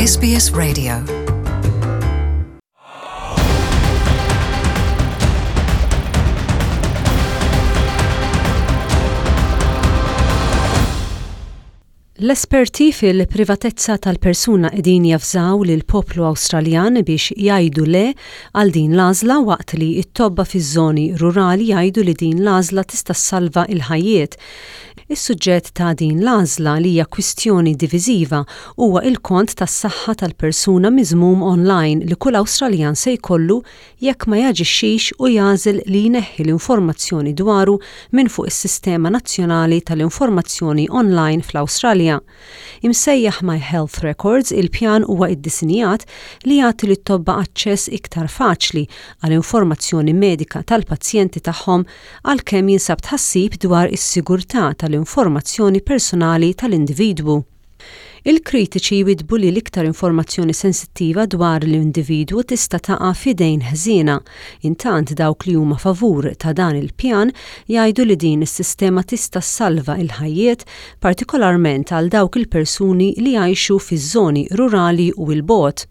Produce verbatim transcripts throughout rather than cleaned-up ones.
S B S Radio. L-esperti fil-privatezza tal-persuna qegħdin javżaw lil poplu Awstraljan biex jgħidu le għal din l-għażla, waqt li t-tobba fiż-żoni rurali jgħidu li din l-għażla tista' ssalva il-ħajjiet. Is-suġġett ta' din l-għażla, li hija kwistjoni diviżiva, huwa il-kont tas-saħħa tal-persuna miżmum online li kull Awstraljan se jkollu jekk ma jaġixxix u jagħżel li jneħħi l-informazzjoni dwaru minn fuq is-Sistema Nazzjonali tal-Informazzjoni Online fl-Awstralja. Imsejjaħ My Health Records, il-pjan huwa iddisinjat li jagħti lit-tobba aċċess iktar faċli għal informazzjoni medika tal-pazjenti tagħhom, għalkemm jinsab tħassib dwar is-sigurtà tal-informazzjoni personali tal-individwu. Il-kritiċi jwidbu li l-iktar informazzjoni sensittiva dwar l-individwu tista' taqa' f'idejn ħżiena. Intant, dawk li huma favur ta' dan il-pjan jgħidu li din is-sistema tista' salva il-ħajjiet, partikolarment għal dawk il-persuni li jgħixu fiż-żoni rurali u 'l bogħod.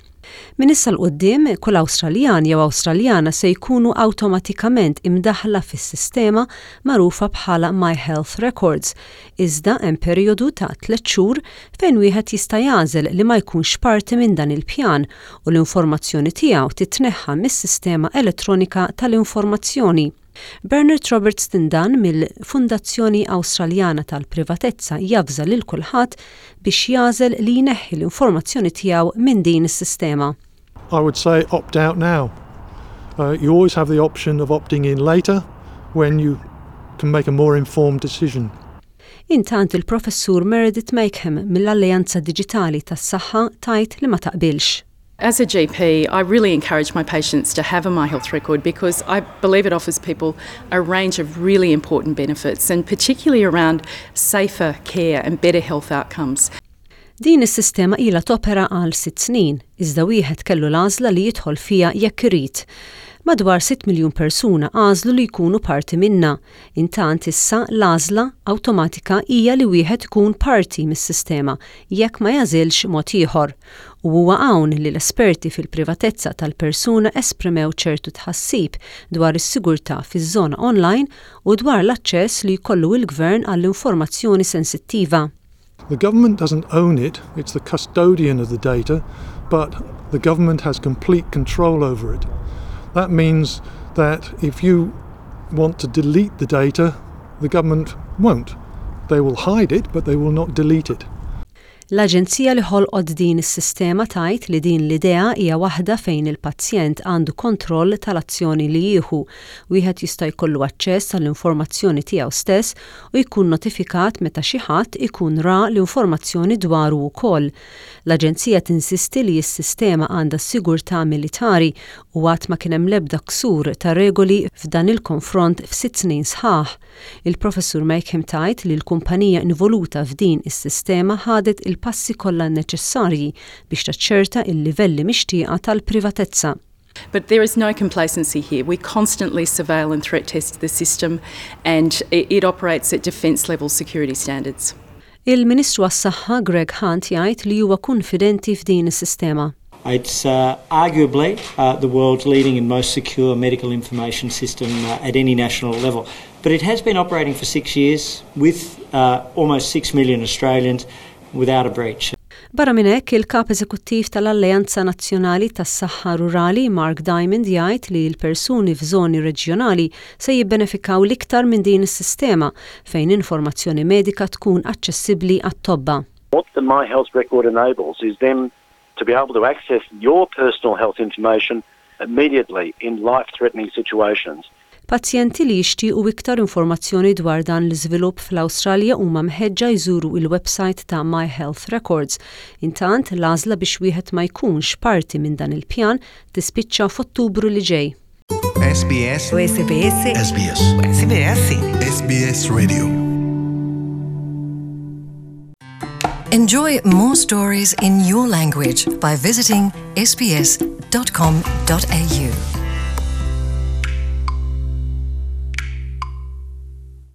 Min issa 'l quddiem, kull Awstraljan jew Awstraljana se jkunu awtomatikament imdaħla fis-sistema magħrufa bħala My Health Records. Iżda hemm perjodu ta' tliet xhur fejn wieħed jista' jagħżel li ma jkunx parti minn dan il-pjan u l-informazzjoni tiegħu titneħħa mis-sistema elettronika tal-informazzjoni. Bernard Roberts Tindan mill-Fundazzjoni Awstraljana tal-Privatezza javża lil kulħadd biex jagħżel li jneħħi l-informazzjoni tiegħu minn din is-sistema. I would say opt out now. Uh, you always have the option of opting in later when you can make a more informed decision. Intant, il-professur Meredith Makeham mill-Alleanza Digitali tas-Saħħa tgħid li ma taqbilx. As a G P, I really encourage my patients to have a My Health Record because I believe it offers people a range of really important benefits, and particularly around safer care and better health outcomes. Din is-sistema ilha topera għal sitt snin, iżda wieħed kellu l-għażla li jidħol fiha jekk irid. Madwar sitt miljun persuna għażlu li jkunu parti minna. Intant, issa l-għażla awtomatika hija li wieħed ikun parti mis-sistema jekk ma jagħżilx mod ieħor. U huwa hawn li l-esperti fil-privatezza tal-persuna esprimew ċertu tħassib dwar is-sigurtà fiż-żona online u dwar l-aċċess li jkollu il-gvern għall-informazzjoni sensittiva. The government doesn't own it, it's the custodian of the data, but the government has complete control over it. That means that if you want to delete the data, the government won't. They will hide it, but they will not delete it. L-aġenzija li ħolqot din is-sistema tgħid li din l-idea hija waħda fejn il-pazjent għandu kontroll tal-azzjoni li jieħu. Wieħed jista' jkollu aċċess għall-informazzjoni tiegħu stess u jkun notifikat meta xi ħadd ikun ra l-informazzjoni dwaru wkoll. L-aġenzija tinsisti li s-sistema għandha sigurtà militari u għad ma kien hemm l-ebda ksur ta' regoli f'dan il-konfront f'sitt snin sħaħ. Il-professur Makeham tgħid li l-kumpanija involuta f'din is-sistema ħadet il-passi kollha neċessarji biex taċċerta il-livelli mixtieqa tal-privatezza. But there is no complacency here. We constantly surveil and threat test the system, and it, it operates at defence level security standards. Il-Ministru għas-Saħħa Greg Hunt jgħid li huwa konfidenti f'din is-sistema. It's uh, arguably uh, the world's leading and most secure medical information system uh, at any national level. But it has been operating for six years with uh, almost six million Australians without a breach. Barra minn hekk, il-kap eżekuttiv tal-Alleanza Nazzjonali tas-Saħħa Rurali Mark Diamond jgħid li l-persuni f'żoni reġjonali se jibbenefikaw l-iktar minn din is-sistema fejn informazzjoni medika tkun aċċessibbli għat-tobba. What the My Health Record enables is them to be able to access your personal health information immediately in life-threatening situations. Pazjenti li jixtiequ iktar informazzjoni dwar dan l-iżvilupp fl-Awstralja huma mħeġġa jżuru il-website ta' My Health Records. Intant, l-għażla biex wieħed ma jkunx parti minn dan il-pjan tispiċċa f'Ottubru li ġej. S B S S B S S B S S B S S B S Radio. Enjoy more stories in your language by visiting S B S dot com dot A U.